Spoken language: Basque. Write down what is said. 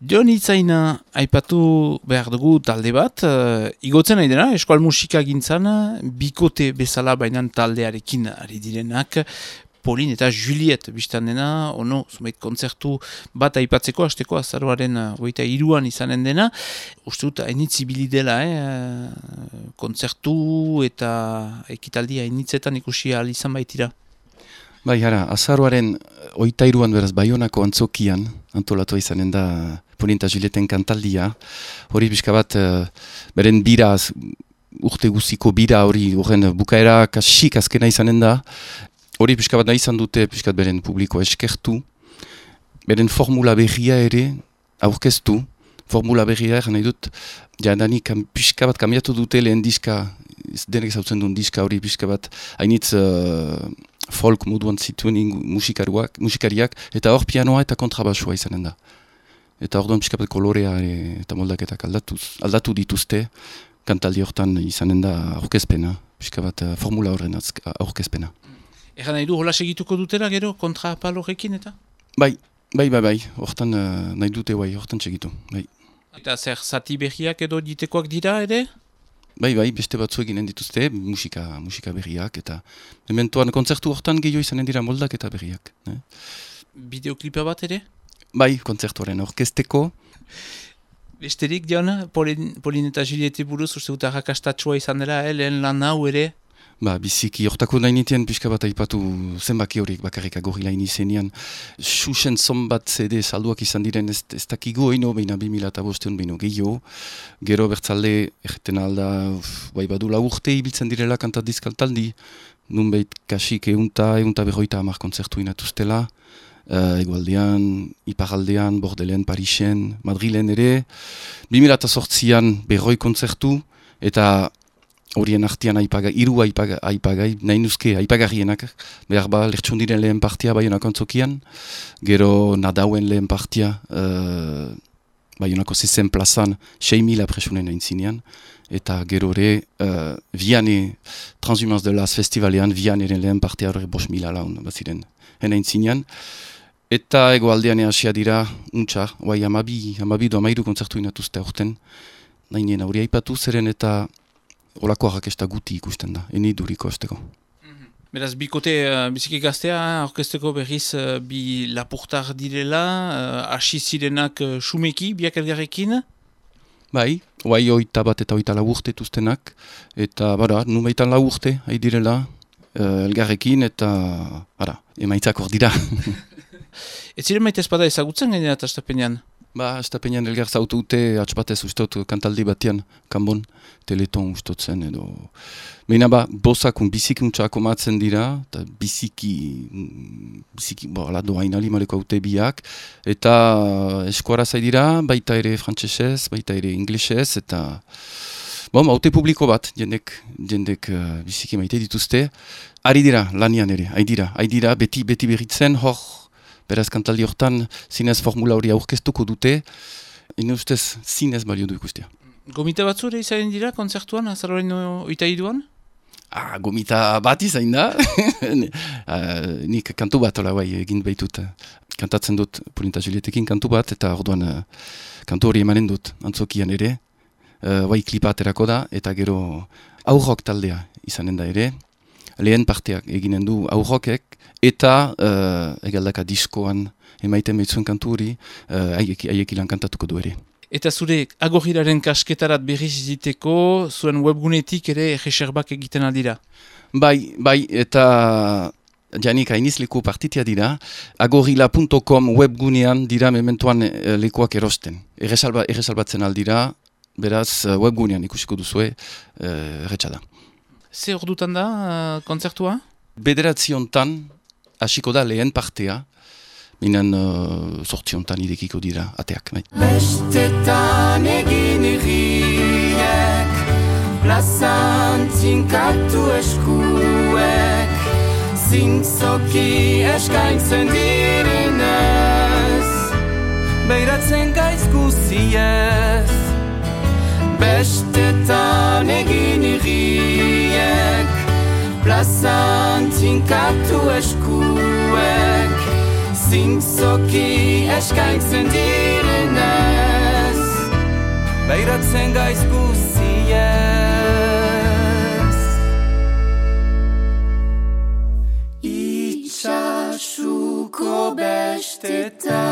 Jon Itzaina aipatu behar dugu talde bat, igotzen nahi dena, eskual musika gintzan, bikote bezala bainan taldearekin ari direnak, Pauline eta Juliet biztan dena, ono, zumeit kontzertu bat aipatzeko, hasteko azaroaren 23an izanen dena, uste dut hainitzibili dela, kontzertu eta ekitaldi hainitzetan ikusi ahal izan baitira. Bai, hara, azaroaren 23an beraz Baionako antzokian antolatua izanen da Pauline eta Julieten kantaldia. Hori pixka bat, beren bira, urte guziko bira hori, horren bukaera kasik azkena izanen da. Hori pixka bat nahi izan dute, pixkat beren publiko eskertu. Beren formula berria ere aurkeztu. Formula berria ere nahi dut, jadanik pixka bat kamiatu dute lehen diska, denek zautzen duen diska hori pixka bat, hainitz folk moduan zituen musikariak, eta hor pianoa eta kontrabasua izanen da. Eta hor duan pixka bat kolorea eta moldaketak aldatu dituzte, kantaldi hortan izanen da aurkezpena, pixka bat formula horren aurkezpena. Egan nahi du, hola segituko dutela gero kontrapalorekin eta? Bai, hortan nahi dute hortan segitu, bai. Eta zer, zati berriak edo ditekoak dira ere? Bai, beste batzu eginen dituzte, musika berriak, eta mementoan kontzertu hortan gehiago izanen dira moldak eta berriak. Bideoklipa bat ere? Bai, kontzertuaren orkesteko. Besterik, Jon, Pauline eta Juliette buruz, uste dut arrakastatsua izan dela, lehen lan hau ere? Biziki, hortako nahi nitien pixka bat aipatu zenbaki horiek bakarrik agorrilain izenean. Xuxen zonbat CD salduak izan diren ez dakigu oino, behin 2005 behin gehiago. Gero bertzalde, erreten alda, badu urte ibiltzen direla kantat dizkaltaldi. Nunbait kasik eunta berroita hamar kontzertu inatuztela. Egualdean, Iparaldean, Bordelen, Parisen, Madrilen ere. 2008an berroi kontzertu eta horien artean hiru aipagai, nahi nuzke aipagarrienak, behar ba, lertxundiren lehen partia Baionako antzokian, gero nadauen lehen partia Baionako zezen plazan 6.000 presunen aintzinean, eta gero ere Viane Transhumance de las Festivalean, Vianeren lehen partia horre 5.000 laun baziren aintzinean, eta egoaldean hasia dira, untxa, amabi kontzertu inatuzte aurten, nahi nien hori aipatu zeren eta olako arrakesta guti ikusten da, eni duriko azteko. Beraz, bikote biziki gaztea, orkesteko berriz bi lapurtar direla, hasi zirenak sumeki, biak elgarrekin? Bai, oita bat eta oita urte tuztenak, eta numeitan urte, hai direla, elgarrekin, eta emaitzak hor dira. Ez ziren maite espada ezagutzen gainera eta estapenean? Estapenean elgar zautu dute atxpatez ustot kantaldi batean, kanbon, teleton ustotzen edo. Baina bosakun bizikuntxako matzen dira, eta biziki, doain alimaleko haute biak, eta eskuara zaidira, baita ere frantsesez, baita ere inglesez, eta haute publiko bat, jendek biziki maite dituzte, ari dira, lanian ere, haidira, beti berritzen, hor, beraz kantaldi hortan zinez formula hori aurkeztuko dute, ene ustez zinez balio du ikustea. Gomita batzure izan dira kontzertuan, azaroren 23an? Gomita bat izan da. Nik kantu bat egin behitut. Kantatzen dut Pauline eta Julietekin kantu bat, eta orduan kantu hori emanen dut antzokian ere. Klipa aterako da, eta gero aurrok taldea izanen da ere. Lehen parteak eginen du aurrokek, eta egaldaka diskoan emaiten behitzuen kantu hori, haiek ilan kantatuko du ere. Eta zure agorriraren kasketarat berriz iziteko, zuen webgunetik ere reserbak egiten aldira? Bai, eta janik hainiz leku partitia dira, agorrila.com webgunean dira mementoan lekuak erosten. Erresalbatzen aldira, beraz webgunean ikusiko duzue erretxada. Ze ordutan da kontzertua? 9:00 hasiko da lehen partea, minen 8:00 idekiko dira ateak. Bestetan egin irriek, plazan zinkatu eskuek, zintzoki eskaintzen direnez, beiratzen gaiz guziez. Bestetan egin irriek, plazan zinkatu eskuek, zintzoki eskaintzen direnek. beiratzen gaiz guziez. Itxasuko bestetan